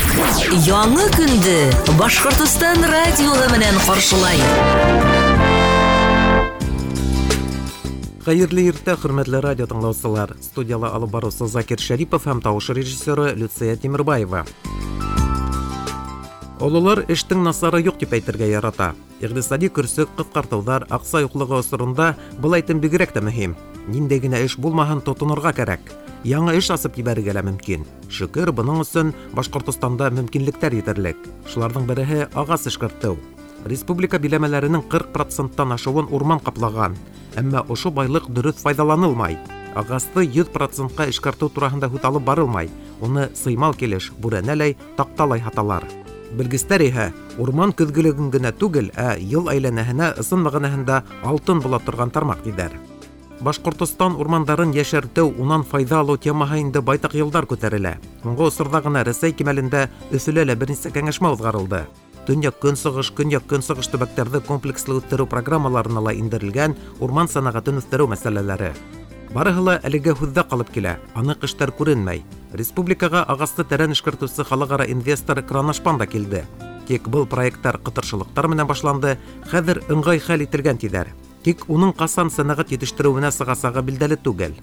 Яңы көндө Башҡортостан радиоһы менән ҡаршылай. Хәйерле иртә, хөрмәтле радио тыңлаусылар. Студияла алып барыусы Закир Шәрипов һәм тауыш режиссеры Люция Тимербаева. Ололар эштең насары юҡ тип әйтергә ярата. Иҡтисади көрсөк, ҡыҫҡартыуҙар, аҡса юҡлығы осоронда был әйтем бигерәк тә мөһим. Ниндәй генә эш булмаһын, тотонорға кәрәк. Яңы эш асып ебәрергә лә мөмкин. Шөкөр, бының өсөн Башҡортостанда мөмкинлектәр етерлек. Шуларҙың береһе ағас эшкәртеү. Республика биләмәләренең 40%-тан ашыуын урман ҡаплаған. Әммә ошо байлыҡ дөрөҫ файҙаланылмай. Ағасты 100%-ҡа эшкәртеү тураһында һүҙ алып барылмай. Уны сыймал килеш, бүрәнәләй, таҡталай һаталар. Белгестәр иһә урман көҙгөлөгөн генә түгел, ә йыл әйләнәһенә ысын мәғәнәһендә алтын була торған тармаҡ тиҙәр. Башҡортостан урмандарын йәшәртеү, унан файҙа алыу темаһы инде байтаҡ йылдар күтәрелә. Һуңғы осорҙа ғына Рәсәй кимәлендә Өфөлә лә бер нисә кәңәшмә уҙғарылды. Төньяҡ-көнсығыш, көньяҡ-көнсығыш төбәктәрҙе комплекслы үҫтереү программаларына ла индерелгән урман сәнәғәтен үҫтереү мәсьәләләре. Барыһы ла әлегә һүҙҙә ҡалып килә, аныҡ эштәр күренмәй. Республикаға ағасты тәрән эшкәртеүсе халыҡ-ара инвестор Кроношпан да килде. Тик был проекттар ҡытыршылыҡтар менән башланды, хәҙер ыңғай хәл ителгән тиҙәр. Тик уның ҡасан сәнәғәт етештереүенә сығасағы билдәле түгел.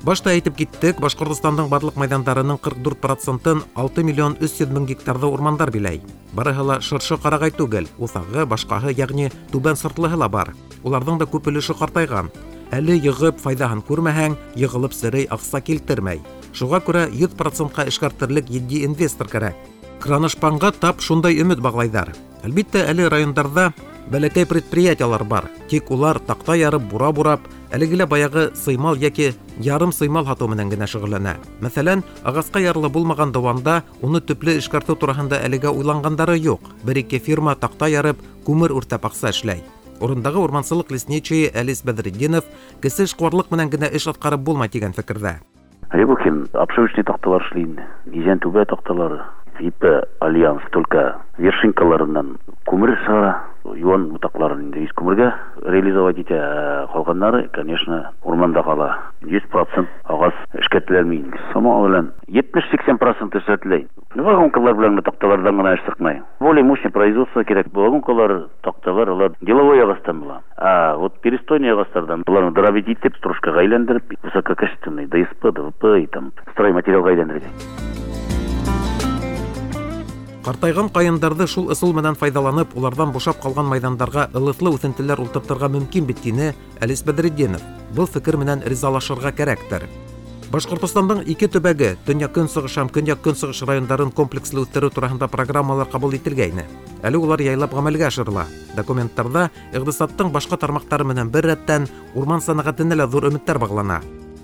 Башта әйтеп киттек, Башҡортостандың барлыҡ майҙандарының 44%-ын 6 миллион 300 мең гектарҙы урмандар биләй. Барыһы ла шыршы ҡарағай түгел, уҫағы, башҡаһы, йәғни түбән сортлыһы ла бар. Уларҙың да күп өлөшө ҡартайған. Әле йығып файҙаһын күрмәһәң, йығылып серей аҡса килтермәй. Шуға күрә 100%-ҡа эшкәртерлек етди инвестор кәрәк. Кроношпанға тап шундай өмөт бағлайҙар. Әлбиттә, әле райондарҙа бәләкәй предприятиелар бар. Тик улар таҡта ярып, бура бурап, әлеге лә баяғы сыймал йәки ярым сыймал һатыу менән генә шөғөлләнә. Мәҫәлән, ағасҡа ярлы булмаған Дыуанда уны төплө эшкәртеү тураһында әлегә уйланғандары юҡ. Бер-ике фирма таҡта ярып, күмер үртәп аҡса эшләй. Урындағы урмансылыҡ лесничийы Әлис Бәҙретдинов кесе эшҡыуарлыҡ менән генә эш атҡарып булмай тигән фекерҙә. Рябухин обшивочный таҡталар эшләй инде. Иҙән түбә таҡталары. ИП Альянс только вершинкаларынан күмер сығара, юан ботаҡларын инде ис күмергә реализовать итә, ә ҡалғандары, конечно, урманда ҡала. 100% ағас эшкәртеләлмәй инде. Сама белән 70-80% эшләтелә. Вагонкалар белән генә таҡталарҙан ғына эш сыҡмай. Более мощный производство кәрәк. Вагонкалар, таҡталар, улар деловой ағастан була. А вот перестойный ағастарҙан уларны дробить итеп, стружкаға әйләндереп, высококачественный ДСП, ДВП и там стройматериалға әйләндерергә. Ҡартайған ҡайындарҙы шул ысул менән файҙаланып, уларҙан бушап ҡалған майҙандарға ылыҫлы үҫентеләр ултыртырға мөмкин бит, тине Әлис Бәҙретдинов. Был фекер менән ризалашырға кәрәктер. Башҡортостандың ике төбәге, төньяҡ-көнсығыш һәм көньяҡ-көнсығыш райондарын комплекслы үҫтереү тураһында программалар ҡабул ителгәйне. Әле улар яйлап ғәмәлгә ашырыла. Документтарҙа иҡтисадтың башҡа тармаҡтары менән бер рәттән урман сәнәғәтенә лә ҙур өмөттәр бағлана.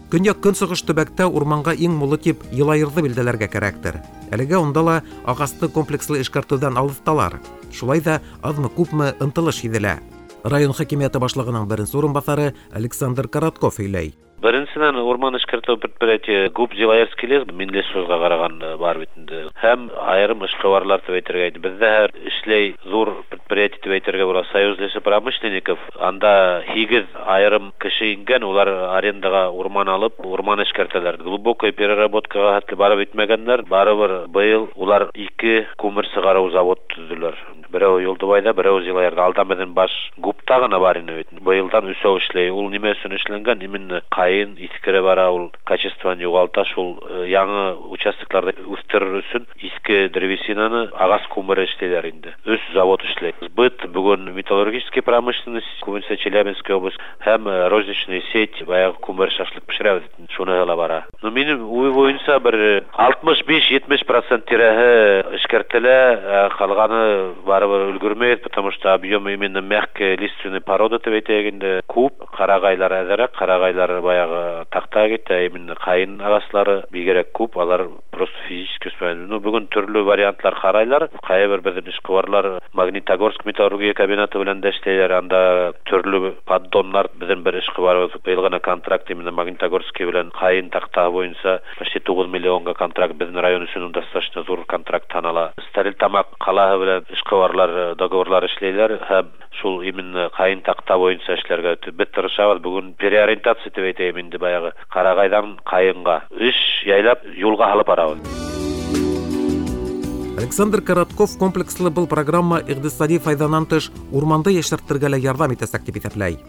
Көньяҡ-көнсығыш төбәктә урманға иң мулы тип Йылайырҙы билдәләргә кәрәктер. Әлегә унда ла ағасты комплекслы эшкәртеүҙән алыҫталар. Шулай ҙа аҙмы-күпме ынтылыш һиҙелә. Район хакимиәте башлығының беренсе урынбаҫары Александр Коротков һөйләй. Беренсенән, урман эшкәртеү предприятие ГУП Зилаирский лес, Минлесхозға ҡараған бар бит инде. Һәм айырым эшҡыуарлар тип әйтергә инде. Беҙҙә һәр эшләй ҙур предприятие тип әйтергә була. Союз лесопромышленников, анда 8 айырым кеше ингән, улар арендаға урман алып, урман эшкәртәләр. Глубокая переработкаға хәтле барып етмәгәндәр, барыбер быйыл улар 2 күмер сығарыу завод төҙөләр. Берәү Юлдыбайҙа, берәү Зилаирҙа. Алдан беҙҙең баш ГУПта ғына бар ине бит. Быйылдан өсәү эшләй. Ул нимә өсөн эшләнгән? Именно ҡайын иҫкере бара, ул качествоны юғалта. Шул яңы участокларҙы үҫтерер өсөн иҫке древесинаны ағас күмере эшләйләр инде. 3 завод эшләй. Сбыт бөгөн металлургический промышленность, күбенсә Челябинская область һәм розничный сеть баяғы күмер шашлык бешерәбеҙ, шуны ла бара. Ну, минең уй буйынса бер 65-70 процент тирәһе эшкәртелә, ҡалғаны барыбер өлгөрмәй, потому что объем именно мягкой лиственной породы тип әйтәйек инде күп. Ҡарағайлар әҙерәк, ҡарағайлар баяғы таҡта китә, именно ҡайын ағаслары бигерәк күп, алар просто физически үҫмәй. Ну, бөгөн төрлө вариантлар ҡарайлар. Ҡайһы бер беҙҙең эшҡыуарлар Магнитогорск металлургия комбинаты белән дә эшләйләр, анда төрлө поддоннар. Беҙҙең бер эшҡыуарыбыҙ быйыл ғына контракт именно Магнитогорский белән ҡайын таҡтаһы буйынса почти 9 миллионға контракт, беҙҙең район өсөн достаточно ҙур контракт һанала. Стәрлетамаҡ ҡалаһы белән эшҡыуарлар договорлар эшләйләр һәм шул именно ҡайын таҡта буйынса эшләргә беҙ тырышабыҙ. Бөгөн переориентация тип әйтәйем инде, баяғы ҡарағайҙан ҡайынға эш яйлап юлға һалып барабыҙ. Александр Коротков комплекслы был программа иҡтисади файҙанан тыш урманды йәшәртергә лә ярҙам итәсәк тип иҫәпләй.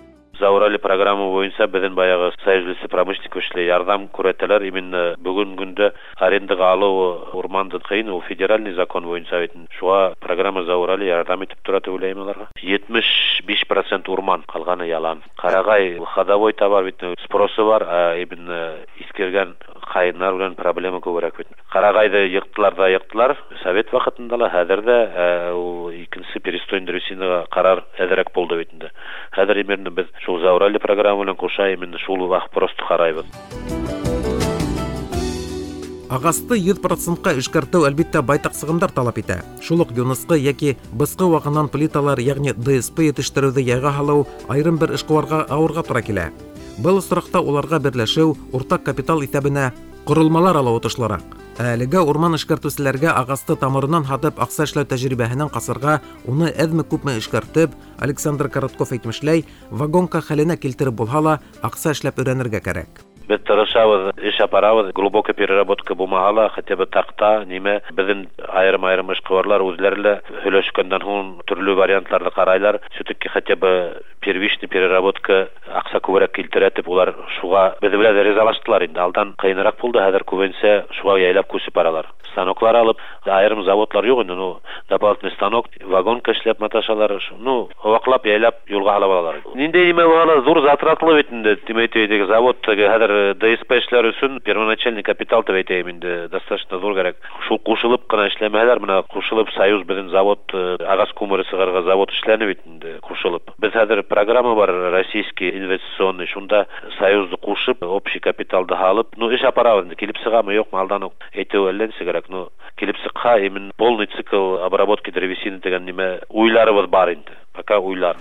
Заурали программа буйынса беҙҙең баяғы Союз лесопромышленников эшләй ярҙам күрһәтәләр. Именно бөгөн көндә арендаға алыу урманды ҡыйын, ул федеральный закон буйынса бит. Шуға программа Заурали ярҙам итеп тора тип уйлайым уларға. 75% урман, ҡалғаны ялан. Ҡарағай ходовой товар бит, спросы бар, а именно иҫкергән ҡайындар менән проблема күберәк бит. Ҡарағайҙы йыҡтылар ҙа йыҡтылар совет ваҡытында ла, хәҙер ҙә ул икенсе перестой древесинаға ҡарар әҙерәк булды бит инде. Хәҙер именно беҙ шул Заурали программа менән ҡуша именно шул вопросты ҡарайбыҙ. Ағасты 100%-ҡа эшкәртеү әлбиттә байтаҡ сығымдар талап итә. Шул уҡ юнысҡы йәки бысҡы вағынан плиталар, йәғни ДСП етештереүҙе яйға һалыу айырым бер эшҡыуарға ауырға тура килә. Был осраҡта уларға берләшеү, уртаҡ капитал иҫәбенә ҡоролмалар алыу отошлораҡ. Ә әлегә урман эшкәртеүселәргә ағасты тамырынан һатып аҡса эшләү тәжрибәһенән ҡасырға, уны әҙме-күпме эшкәртеп, Александр Коротков әйтмешләй, вагонка хәленә килтереп булһа ла, аҡса эшләп өйрәнергә кәрәк. Беҙ тырышабыҙ, эш апарабыҙ, глубокая переработка булмаһа ла, хотя бы таҡта, нимә, беҙҙең айырым-айырым эшҡыуарлар үҙҙәре лә һөйләшкәндән һуң төрлө варианттарҙы ҡарайлар. Все-таки хотя бы первичный переработка аҡса күберәк килтерә тип улар шуға беҙ белән ризалаштылар инде. Алдан ҡыйыныраҡ булды, хәҙер күбенсә шуға яйлап күсеп баралар. Станоклар алып, айырым заводлар юҡ инде, ну, дополнительный станок, вагонка эшләп маташалар, ну, ваҡлап яйлап юлға һалып алалар. Ниндәй нимә булһа ла ҙур затратлы бит инде, тип әйтәйек, завод хәҙер ДСП эшләр өсөн первоначальный капитал тип әйтәйем инде, достаточно ҙур кәрәк. Шул ҡушылып ҡына эшләмәһәләр, бына ҡушылып Союз беҙҙең завод, ағас күмере сығарған завод эшләне бит инде, ҡушылып. Беҙ хәҙер программа бар российский инвестиционный, шунда Союзды ҡушып, общий капиталды һалып, ну, эш апарабыҙ инде, килеп сығамы, юҡмы, алдан уҡ әйтеү әллә нисә кәрәк, ну, килеп сыҡһа, именно полный цикл обработки древесины тигән нимә уйларыбыҙ бар инде, пока уйлар.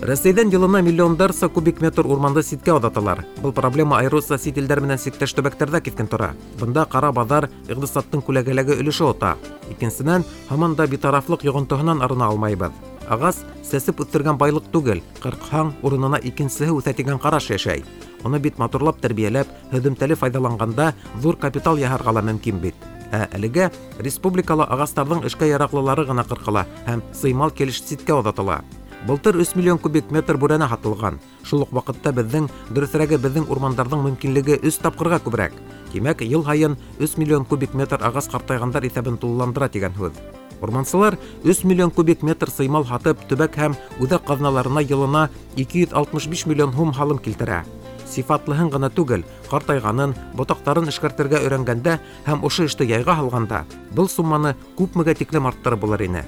Рәсәйҙән йылына миллиондарса кубик метр урманды ситкә оҙаталар. Был проблема айырыуса сит илдәр менән сиктәш төбәктәрҙә киҫкен тора. Бында ҡара баҙар иҡтисадтың күләгәләге өлөшө ота. Икенсенән, һаман да битарафлыҡ йоғонтоһонан арына алмайбыҙ. Ағас сәсеп үҫтергән байлыҡ түгел, ҡырҡһаң урынына икенсеһе үҫә тигән ҡараш йәшәй. Уны бит матурлап тәрбиәләп, һөҙөмтәле файҙаланғанда ҙур капитал яһарға ла мөмкин бит. Ә әлегә республикала ағастарҙың эшкә яраҡлылары ғына ҡырҡыла һәм сыймал килеш ситкә оҙатыла. Былтыр 3 миллион кубик метр бүрәнә һатылған. Шул уҡ ваҡытта беҙҙең, дөрөҫөрәге беҙҙең урмандарҙың мөмкинлеге 3 тапҡырға күберәк. Тимәк, йыл һайын 3 миллион кубик метр ағас ҡартайғандар иҫәбен тулыландыра тигән һүҙ. Урмансылар 3 миллион кубик метр сыймал һатып, төбәк һәм үҙәк ҡаҙналарына йылына 265 миллион һум һалым килтерә. Сифатлыһын ғына түгел, ҡартайғанын, ботаҡтарын эшкәртергә өйрәнгәндә һәм ошо эште яйға һалғанда, был сумманы күпмегә тиклем арттырып булыр ине.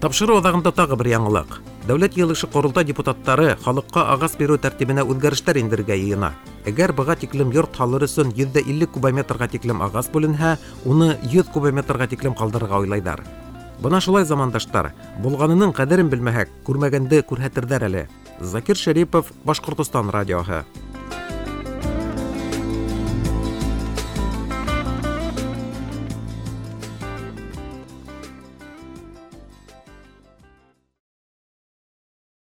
Тапшырыу аҙағында тағы бер яңылыҡ. Дәүләт йыйылышы ҡоролтай депутаттары халыҡҡа ағас биреү тәртибенә үҙгәрештәр индерергә йыйына. Әгәр быға тиклем йорт һалыр өсөн 150 кубометрға тиклем ағас бүленһә, уны 100 кубометрға тиклем ҡалдырырға уйлайҙар. Бына шулай, замандаштар, булғанының ҡәҙерен белмәһәк, күрмәгәнде күрһәтерҙәр әле. Закир Шәрипов, Башҡортостан радиоһы.